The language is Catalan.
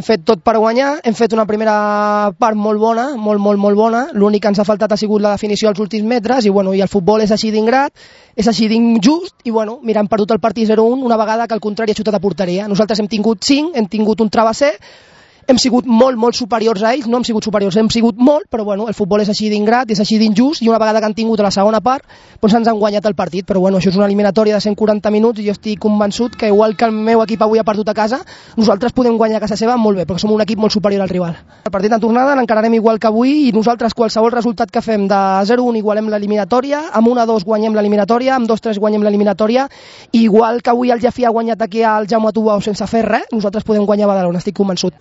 Hem fet tot per guanyar, hem fet una primera part molt bona, molt bona. L'únic que ens ha faltat ha sigut la definició als últims metres i el futbol és així d'ingrat, és així d'injust i mira, hem perdut el partit 0-1 una vegada que el contrari ha xutat a porteria. Nosaltres hem tingut 5, hem tingut un travesser, hem sigut molt superiors a ells, no hem sigut superiors, hem sigut molt, però el futbol és així d'ingrat, és així d'injust i una vegada que han tingut a la segona part doncs ens han guanyat el partit, però això és una eliminatòria de 140 minuts i jo estic convençut que igual que el meu equip avui ha perdut a casa, nosaltres podem guanyar a casa seva molt bé, perquè som un equip molt superior al rival. El partit en tornada l'encararem igual que avui i nosaltres qualsevol resultat que fem de 0-1 igualem l'eliminatòria, amb 1-2 guanyem l'eliminatòria, amb 2-3 guanyem l'eliminatòria i igual que avui el Jafí ha guanyat aquí al Jaume Tubau sense fer res, nosaltres podem guanyar a Badalona, estic convençut.